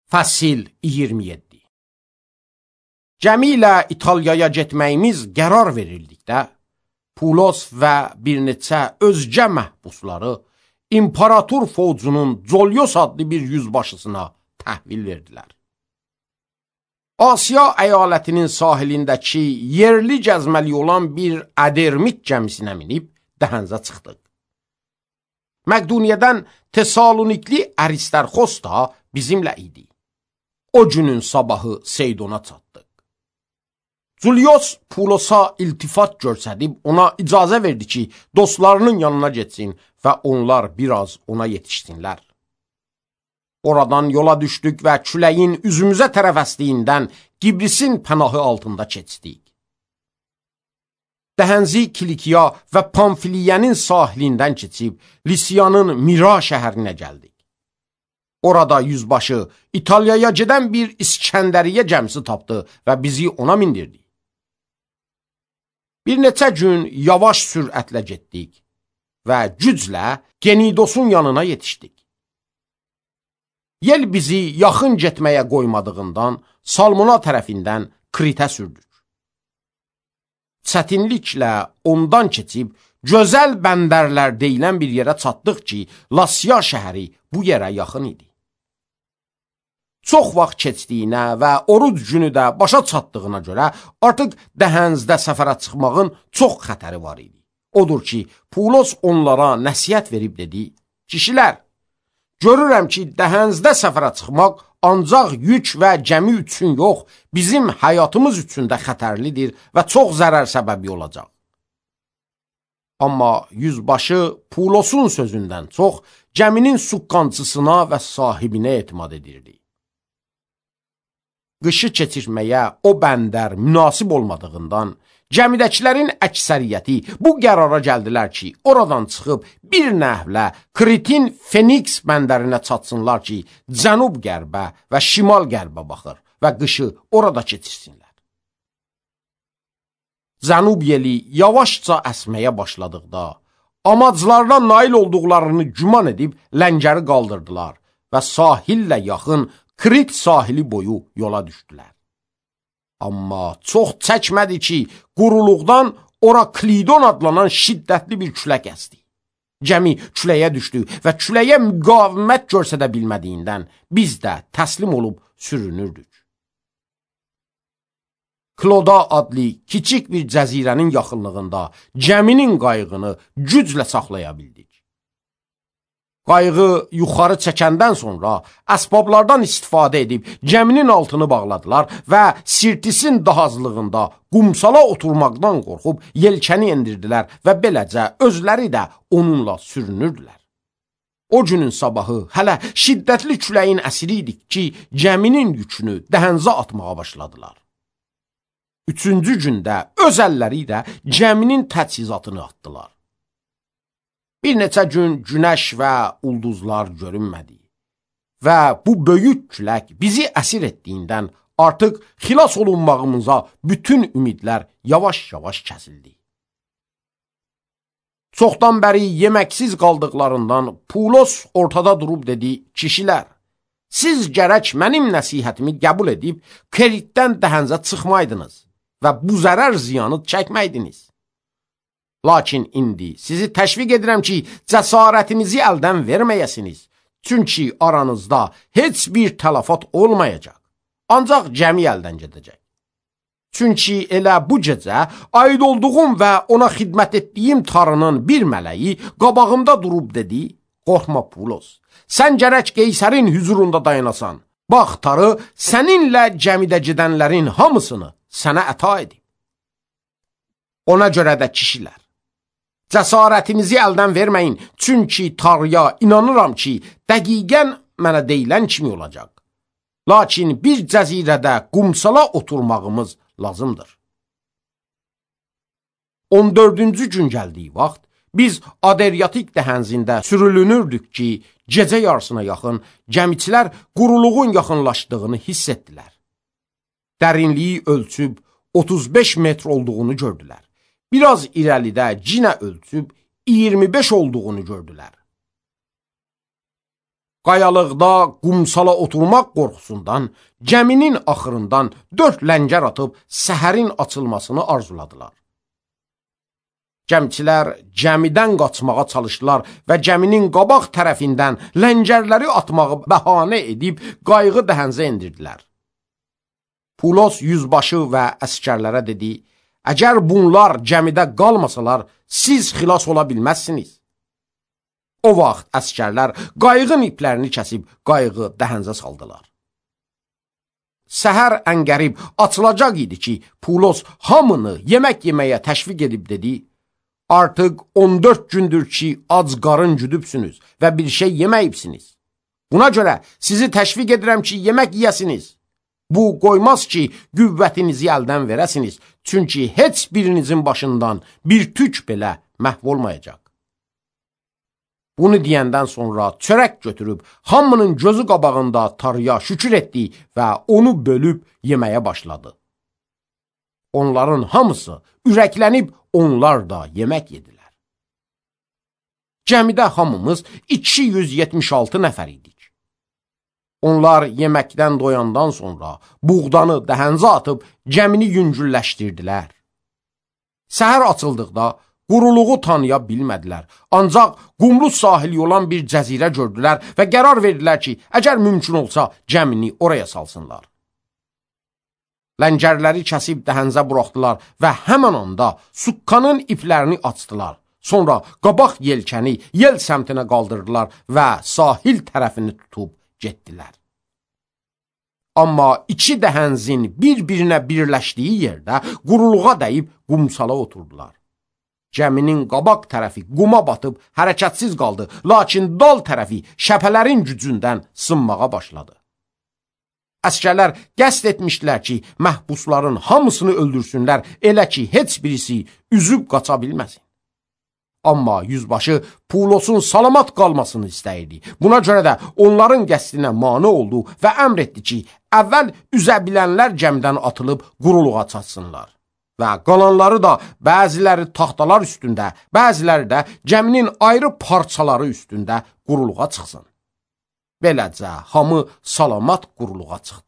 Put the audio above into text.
Fəsil 27. Gəmi ilə İtaliyaya getməyimiz qərar verildikdə, Pulos və bir neçə özgə məhbusları İmparator Focunun Colyos adlı bir yüzbaşısına təhvil verdilər. Asiya əyalətinin sahilindəki yerli gəzməli olan bir Adermit gəmisinə minib dəhənzə çıxdıq. Məqduniyadan Tesalonikli Aristarxos da bizimlə idi. O günün sabahı Seydona çatdıq. Julios Pulosa iltifat göstərib ona icazə verdi ki, dostlarının yanına getsin və onlar biraz ona yetişsinlər. Oradan yola düşdük və küləyin üzümüzə tərəf əsdiyindən Qibrisin pənahı altında keçdik. Dəhənzi Kilikiya və Pamfiliyanın sahilindən keçib Lisiyanın Mira şəhərinə gəldik. Orada yüzbaşı İtaliyaya gedən bir İskəndəriyyə gəmisi tapdı və bizi ona mindirdi. Bir neçə gün yavaş sürətlə getdik və güclə Genidosun yanına yetişdik. Yel bizi yaxın getməyə qoymadığından Salmona tərəfindən Kritə sürdük. Çətinliklə ondan keçib gözəl bəndərlər deyilən bir yerə çatdıq ki, Lasya şəhəri bu yerə yaxın idi. Çox vaxt keçdiyinə və oruc günü də başa çatdığına görə artıq dəhənzdə səfərə çıxmağın çox xətəri var idi. Odur ki, Pulos onlara nəsihət verib dedi: "Kişilər, görürəm ki, dəhənzdə səfərə çıxmaq ancaq yük və gəmi üçün yox, bizim həyatımız üçün də xətərlidir və çox zərər səbəbi olacaq." Amma yüzbaşı Pulosun sözündən çox gəminin suqqancısına və sahibinə etimad edirdi. Qışı keçirməyə o bəndər münasib olmadığından, gəmidəkilərin əksəriyyəti bu qərara gəldilər ki, oradan çıxıb bir nəhvlə Kritin Feniks bəndərinə çatsınlar ki, cənub-qərbə və şimal-qərbə baxır və qışı orada keçirsinlər. Cənub yeli yavaşca əsməyə başladıqda, amaclarına nail olduqlarını güman edib ləngəri qaldırdılar və sahillə yaxın Krit sahili boyu yola düşdülər. Amma çox çəkmədi ki, quruluqdan ora Klidon adlanan şiddətli bir külək əsdi. Gəmi küləyə düşdü və küləyə müqavimət göstərə bilmədiyindən biz də təslim olub sürünürdük. Kloda adlı kiçik bir cəzirənin yaxınlığında gəminin qayığını güclə saxlaya bildik. Qayığı yuxarı çəkəndən sonra əsbablardan istifadə edib gəminin altını bağladılar və Sirtisin dahazlığında qumsala oturmaqdan qorxub yelkəni endirdilər və beləcə özləri də onunla sürünürdülər. O günün sabahı hələ şiddətli küləyin əsiri idik ki, gəminin yükünü dəhənzə atmağa başladılar. Üçüncü gündə öz əlləri ilə gəminin təchizatını atdılar. Bir neçə gün günəş və ulduzlar görünmədi və bu böyük külək bizi əsir etdiyindən artıq xilas olunmağımıza bütün ümidlər yavaş-yavaş kəsildi. Çoxdan bəri yeməksiz qaldıqlarından Pulos ortada durub dedi: "Kişilər, siz gərək mənim nəsihətimi qəbul edib Kritdən dəhənzə çıxmaydınız və bu zərər ziyanı çəkməydiniz. Lakin indi sizi təşviq edirəm ki, cəsarətinizi əldən verməyəsiniz. Çünki aranızda heç bir tələfat olmayacaq. Ancaq gəmi əldən gedəcək. Çünki elə bu gecə aid olduğum və ona xidmət etdiyim tarının bir mələyi qabağımda durub dedi: "Qorxma Pulos, sən gərək Qeysərin hüzurunda dayanasan. Bax, tarı səninlə gəmidə gedənlərin hamısını sənə əta edib. Ona görə də kişilər, cəsarətinizi əldən verməyin, çünki tarıya inanıram ki, dəqiqən mənə deyilən kimi olacaq. Lakin bir cəzirədə qumsala oturmağımız lazımdır." 14-cü gün gəldiyi vaxt, biz Adriatik dəhənzində sürülünürdük ki, gecə yarısına yaxın gəmiçilər quruluğun yaxınlaşdığını hiss etdilər. Dərinliyi ölçüb 35 metr olduğunu gördülər. Biraz irəlidə cinə ölçüb 25 olduğunu gördülər. qayalıqda qumsala oturmaq qorxusundan gəminin axırından 4 ləngər atıb səhərin açılmasını arzuladılar. Gəmçilər gəmidən qaçmağa çalışdılar və gəminin qabaq tərəfindən ləngərləri atmağı bəhanə edib qayığı dəhənzə endirdilər. Pulos yüzbaşı və əskərlərə dedi, əgər bunlar gəmidə qalmasalar, siz xilas ola bilməzsiniz. O vaxt əskərlər qayığın iplərini kəsib qayığı dəhənzə saldılar. Səhər əngərib açılacaq idi ki, Pulos hamını yemək yeməyə təşviq edib dedi, artıq 14 gündür ki, ac qarın güdübsünüz və bir şey yeməyibsiniz. Buna görə sizi təşviq edirəm ki, yemək yiyəsiniz. Bu qoymaz ki, qüvvətinizi əldən verəsiniz, çünki heç birinizin başından bir tük belə məhv olmayacaq. Bunu deyəndən sonra çörək götürüb, hamının gözü qabağında Tanrıya şükür etdi və onu bölüb yeməyə başladı. Onların hamısı ürəklənib, onlar da yemək yedilər. Gəmidə hamımız 276 nəfər idik. Onlar yeməkdən doyandan sonra buğdanı dəhənzə atıb gəmini yüngülləşdirdilər. Səhər açıldıqda quruluğu tanıya bilmədilər. Ancaq qumlu sahili olan bir cəzirə gördülər və qərar verdilər ki, əgər mümkün olsa gəmini oraya salsınlar. Ləngərləri kəsib dəhənzə buraxdılar və həmən anda suqqanın iplərini açdılar. Sonra qabaq yelkəni yel səmtinə qaldırdılar və sahil tərəfini tutub getdilər. Amma iki dəhənzin bir-birinə birləşdiyi yerdə quruluğa dəyib qumsala oturdular. Gəminin qabaq tərəfi quma batıb hərəkətsiz qaldı, lakin dal tərəfi şəpələrin gücündən sınmağa başladı. Əskərlər qəsd etmişdilər ki, məhbusların hamısını öldürsünlər, elə ki, heç birisi üzüb qaça bilməsin. Amma yüzbaşı Pulosun salamat qalmasını istəyirdi. Buna görə də onların qəsdinə mane oldu və əmr etdi ki, əvvəl üzə bilənlər gəmidən atılıb quruluğa çatsınlar. Və qalanları da bəziləri taxtalar üstündə, bəziləri də gəminin ayrı parçaları üstündə quruluğa çıxsın. Beləcə hamı salamat quruluğa çıxdı.